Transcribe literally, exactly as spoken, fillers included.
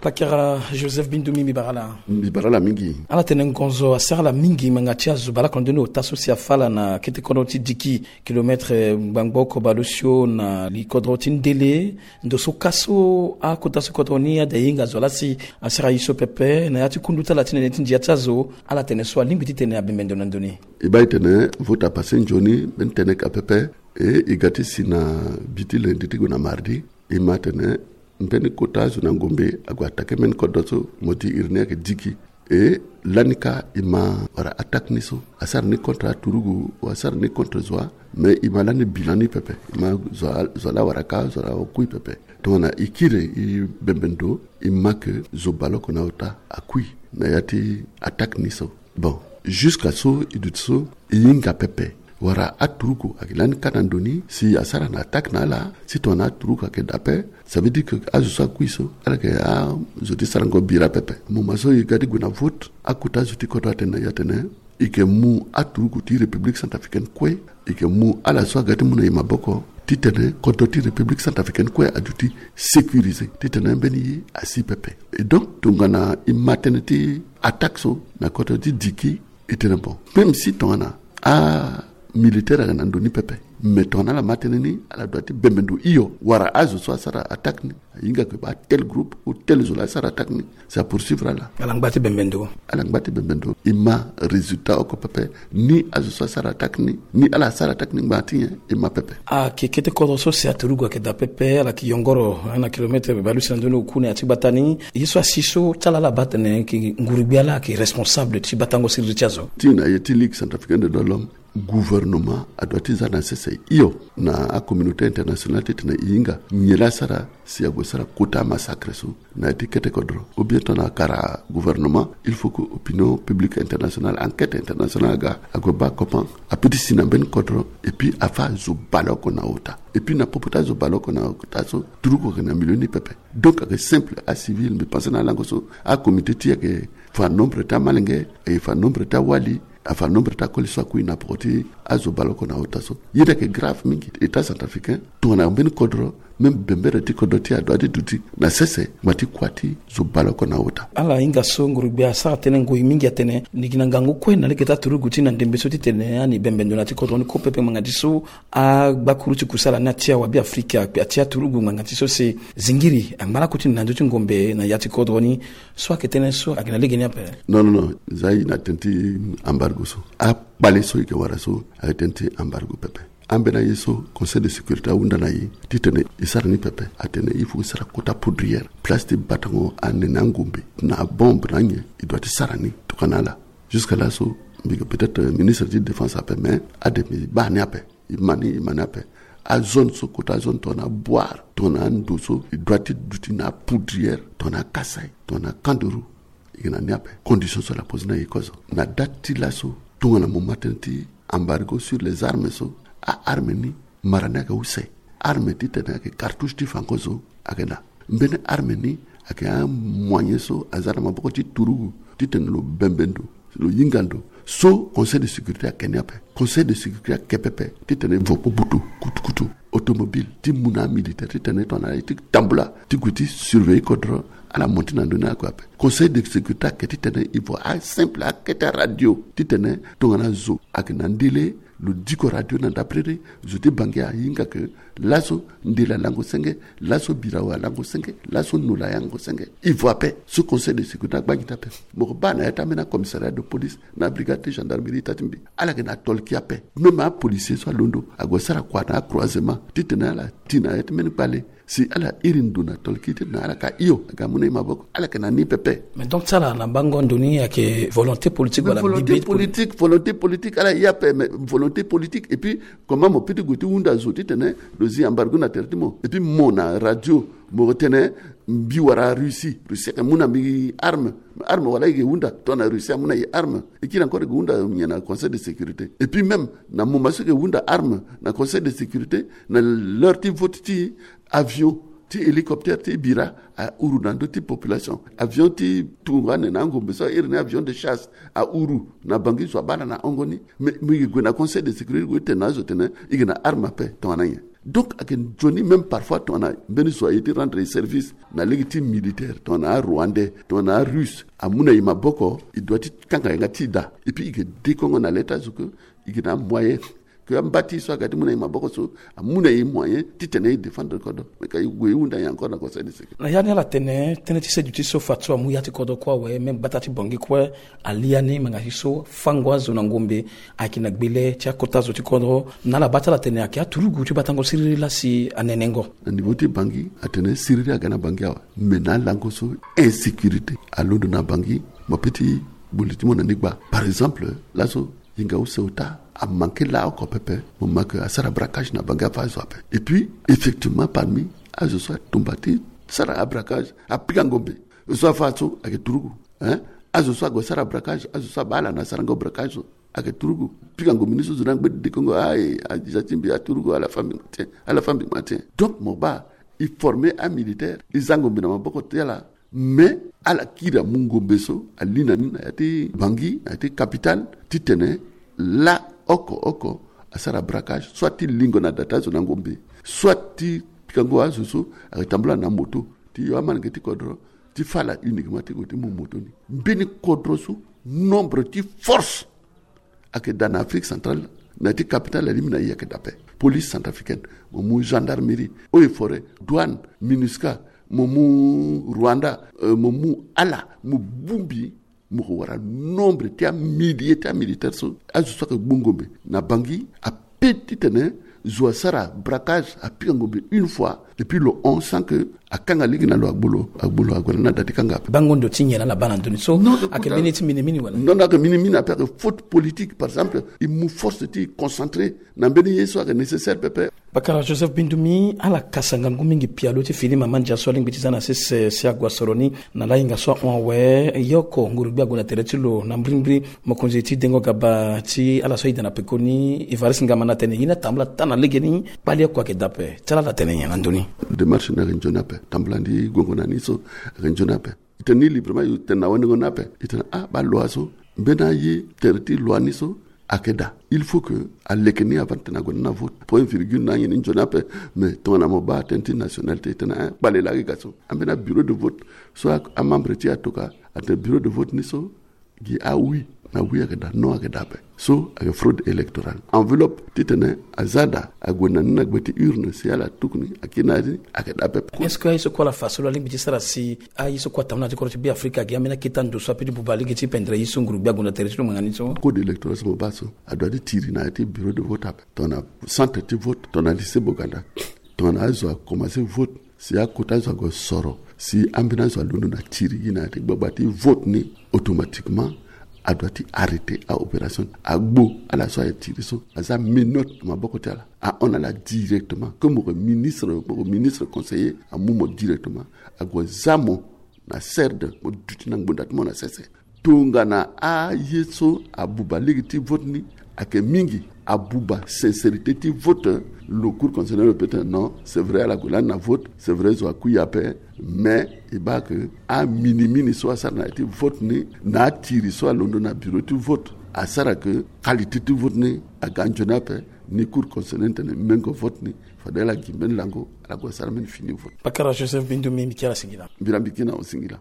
Pakara Joseph Bindumi, mbi bara ala. Mbi bara ala mingi. Ala tene ngonzo asara ala mingi ngbanga ti azo baleoko na ndoni ota so si afa ala na kete kodro ti Diki, kilometre ngbangbo oko baleosio na li kodro ti Ndele. Ndo so ka so akota so kodro ni ade ahinga zo laa si asara ye so pepe na ya ti kundu ti ala ti nene ti ndia ti azo. Ala tene so alingbi titene abembe ndo na ndo ni. E baa e tene vote apasse nzoni mbeni tënë ka pepe. E e ga ti si na bi ti lundi ti gue na mardi. E ma atene mbeni kota azo na ngombe ague attaqué mbeni kodro so, mo di iri ni ayeke Diki. E lani ka e ma wara attaque ni so, asara ni contre aturugu, asara ni contre zo wa. Mais e ma lani bilan ni pepe. E ma zo wa, zo wa laa wara ka, zo wa laa akui pepe. Tongana e kiri e bembe ndo, e ma ke zo baleoko na ota akui na ya ti attaque ni so. Bon, jusqu'à so e duti so e hinga pepe wala aturugu ayeke lani ka na ndo ni si asara na attaque na ala, si tongana aturugu ayeke daa ape, ça veut dire que azo so akui so ala yeke azo ti sarango bira pepe. Moment so e ga ti gue na vote, akota azo ti kodro atene na e atene e yeke mu aturugu ti République centrafricaine kue, e yeke mu ala so aga ti mu na e maboko titene kodro ti République centrafricaine kue aduti sécurisé, titene mbeni ye asi pepe. Et donc tongana e ma tënë ti attaque so na kodro ti Diki, e tene bon, même si tongana amilitaire ayeke na ndo ni pepe, mais tongana ala ma tënë ni, ala doit ti bembe ndo hio wala azo so asara attaque ni. Ahinga ke baa tel groupe ou tel zo laa asara attaque ni, c'est à poursuivre ala. Ala ngba ti bembe ndo. Ala ngba ti bembe ndo. E ma résultat oko pepe, ni azo so asara attaque ni, ni ala asara attaque ni ngbanga ti nyen, e ma pepe. Ayeke kete kodro so si aturugu ayeke daa pepe, ala yeke yongoro na kilomètre baleuse na ndoni oku na ya ti gbata ni. Ye so asi so ti ala, ala baa atene ayeke nguru-gbia laa ayeke responsable ti batango siriri ti azo. Ti na ye ti Ligue centrafricaine des droits de l'homme, gouvernement adoit ti za na sese hio na acommunauté internationale titene e hinga nyen laa asara si ague sara kota amassacre so na ya ti kete kodro. Ou bien tongana akara gouvernement, il faut que opinion publique internationale, enquête internationale aga ague baa comment ape ti si na mbeni kodro, et puis afa azo baleoko na ota. Et puis na popo ti azo baleoko na ota so, turugu ayeke na milieu ni pepe. Donc ayeke simple, acivil, mbi pense na alango so, acomité ti e ayeke fa nombre ti amalenge, e fa nombre ti awali, afa nombre ti akoli so akui na poko ti azo baleoko na ota so. Ye ni ayeke grave mingi. État centrafricain, tongana mbeni kodro, même bembere ti kodro ti e adoit ti duti na sese, ngbanga ti kua ti zo baleoko na ota. Ala hinga so nguru-gbia asara tënë ngoi mingi atene ni gi na ngangu kue na lege ti aturugu ti na ndembe so titene ani bembe ndo na ya ti kodro ni kue pepe ngbanga ti so agbakuru ti kusala ni ati awabi Afrika, atia turugu ngbanga ti so si zingiri angba lako ti na ndö ti ngombe na ya ti kodro ni. So ayeke tënë so ayeke na lege ni ape? Non, non, non. Za e na tënë ti embargo so. Akpale so e yeke wara so ayeke tënë ti embargo pepe. Ambeni aye so Conseil de sécurité ahunda na e titene e sara ni pepe, atene il faut e sara kota poudrière, place ti batango anene angombe na abombe na anyen, e doit ti sara ni tokana ala. Jusque là so, mbi yeke peut-être ministre ti défense ape, mais ade mbi baa ni ape. E ma ni, e ma ni ape. Azone so, kota azone tongana aboire, tongana ando so, e doit ti duti na apoudrière, tongana akasai, tongana kanderu. E yeke na ni ape. Condition so ala pose na e kozo. Na date ti laso, tongana mo ma tënë ti embargo sur les armes so, a-arme ni, mara ni ayeke use. Arme titene ayeke cartouche ti fango so ayeke na. Mbeni arme ni ayeke amoyen so aza na maboko ti turugu titene lo bembe ndo, lo hinga ndo. So Conseil de sécurité ayeke ni ape. Conseil de sécurité ayeke pepe titene e vo kpo butu kutukutu. Automobile ti mu na amilitaire titene tongana aye ti tambula ti gue ti surveiller kodro, ala monte na ndö ni ala gue ape. Conseil de sécurité ayeke titene e vo asimple akete aradio titene tongana zo ayeke na ndele, lo diko radio na ndapiriri, zo ti Bangui ahinga ke laso ndele alango senge, laso birawe alango senge, laso nola ayango senge. E vo ape. So Conseil de sécurité agba gi ti ape. Mo ko baa na ya ti ambeni acommissariat de police na brigade ti gendarmerie ita ti mbi, ala yeke na tolki ape. Même apolicier so alondo ague sara kua na acroisement titene ala ti na ya ti mbeni kpale. Si ala iri ndo na tolki titene ala ka hio aga amu na e maboko, ala yeke na ni pepe. Mais donc ti ala na bango ndo ni ayeke volonté politique wala volonté bibi politique, volonté politique, ala hia ape, mais volonté politique. Et puis comment mo peut ti gue ti hunda zo titene lo zi embargo na tere ti mo? Et puis mo na radio mo tene mbi wara Russie, Russie ayeke mu na mbi arme. Arme wala e ke hunda tongana Russie amu na e arme? E kiri encore e ke hunda nyen na Conseil de sécurité? Et puis même na moment so e ke hunda arme na Conseil de sécurité, na l'heure ti vote ti avion ti hélicoptère ti bira ahuru na ndö ti population. Avion ti tungo ane na angombe so a iri ni avion de chasse ahuru na Bangui, zo abaa ala na hongo ni. Mais mbi yeke gue na Conseil de sécurité gue ti tene na azo tene e yeke na arme ape tongana nyen? Donc ayeke nzoni même parfois tongana mbeni zo aye ti rendre e service na lege ti militaire, tongana arwandais, tongana arusse, amu na e maboko, e doit ti kanga yanga ti e daa. Et puis e yeke dekongo na leta zo ke e yeke na amoyen ke amba ti e so aga ti mu na e maboko so amu na e moyen titene e défendre kodro. Mais ka e gue e hunda nyen encore na conseil de sécurité? Na ya ni ala tene tënë ti seduti so fa so amu ya ti kodro kue awe, même gbata ti Bangui kue alia ni, ma nga si so fango azo na ngombe ayeke na gbele ti akota zo ti kodro. Na ala baa ti ala tene ayeke aturugu ti batango siriri laa si anenengo. Na niveau ti Bangui atene siriri aga na Bangui awe, mais na alango so insécurité alondo na Bangui, mo pe ti boli ti mo na ni gba. Par exemple laso Yinga use ota amanke laa oko pepe. Mo ma ke asara braquage na Bangui afa azo ape. Et puis effectivement parmi azo so atumba ti sara abraquage, apika ngombe, zo afa so ayeke turugu, hein? Azo so ague sara braquage, azo so abaa ala na sarango braquage so ayeke turugu. Pika ngombe ni so zo ni angbe dekongo, aye, aza ti mbi aturugu, ala fa mbi matin, ala fa mbi matin. Donc mo baa e former amilitaire, e za ngombe na maboko ti ala. Mais ala kiri amu ngombe so ali na ni na ya ti Bangui, na ya ti capitale, titene laa oko oko asara braquage, soit ti lingo na da ti azo na ngombe, soit ti pikango azo so ayeke tambula na moto ti yo amanenge ti kodro, ti fâ ala uniquement ti gue ti mu moto ni. Mbeni kodro so, nombre ti force ayeke daa na Afrique centrale, na ya ti capitale alingbi na e ayeke daa ape. Police centrafricaine, mo mu gendarmerie, eaux et forêts, douane, MINUSCA, mo mu Rwanda, euh, mo mu ala, mo bongbi, mo ko wara nombre ti amillier ti amilitaire so, azo so ayeke gbu ngombe na Bangui ape titene zo asara braquage, apika ngombe une fois, et puis lo hon sans que akanga lege na lo, agbo lo, agbo lo ague na ni na da ti kanga ape. Bango ndo ti nyen na ala baa na ndö ni so? Non, ayeke mbeni ti minimini wala? Non, non, ayeke minimini ape, ayeke faute politique. Par exemple e mu force ti e concentré na mbeni ye so ayeke nécessaire pepe. Bakara Joseph Bindumi, ala kasa ngangu mingi pialo ti fini mama ndia so alingbi ti za na sese si ague asoro ni na laa hinga so ahon awe. Ye oko nguru-gbia ague na tere ti lo na mbirimbiri, mokonzi ti dengo gaba ti ala so aida na pekoni, Évariste Ngamana, atene ye ni atambula taa na legeni, kpale oko ayeke daa ape. Ti ala ala tene nyen na ndö ni? Démarche ni ayeke nzoni ape, tambula ndi gongo na ni so ayeke nzoni ape. E tene ni librement, e tene na wendengo ni ape. E tene ah, baa loi so, mbeni aye tere ti loi ni so ayeke daa. Il faut que aleke ni avant ti tene ague na ni na vote. Point virgule na anyen ni nzoni ape. Mais tongana mo baa tënë ti nationalité, e tene ah, kpale laa ayeke ga so. Ambeni abureau de vote so amembre ti e atoka, atene bureau de vote ni so gi ah oui, na oui ayeke daa, non ayeke daa ape. So ayeke fraude électorale. Enveloppe titene aza daa, ague na ni na gbe ti urne si ala tuku ni, akiri na ya ti ni, ayeke daa pepe. Est-ce que aye so kue ala fa so lo alingbi ti sara si aye so kue atambula na ti kodro ti Beafrika, agi ambeni akete ando so apeut ti buba lege ti pendre ye so nguru-gbia ague na tere ti lo ngbanga ni so? Code électoral so mo baa so, adoit ti tiri na ya ti bureau de vote ape, tongana centre ti vote, tongana lycée Boganda, tongana azo akomanse vote, si akota azo ague soro, si ambeni azo alondo na tiri gi na ya ti gbagba ti vote ni, automatiquement adoit ti arrêter aopération, agbo ala so aye tiri so, aza menotte na maboko ti ala, ahon na ala directement. Comme mo yeke ministre, mo yeke ministre conseiller, amu mo directement, ague za mo na CERD, mo duti na ngbonda ti mo na sese. Tongana aye so abuba lege ti vote ni ayeke mingi, abuba sincérité ti vote, lo Cour constitutionnelle lo peut ti tene non, c'est vrai, ala gue lani na vote, c'est vrai, zo akui ape, mais e baa ke aminimini so asara na ya ti vote ni, na atiri so alondo na bureau ti vote, asara ke qualité ti vote ni aga nzoni ape. Ni Cour constitutionnelle ni tene mengo vote ni, fade ala gi mbeni lango, ala gue asara mbeni fini vote. Bakara Joseph Bindumi, mbi kiri ala singila. Mbi laa mbi kiri na yo singila.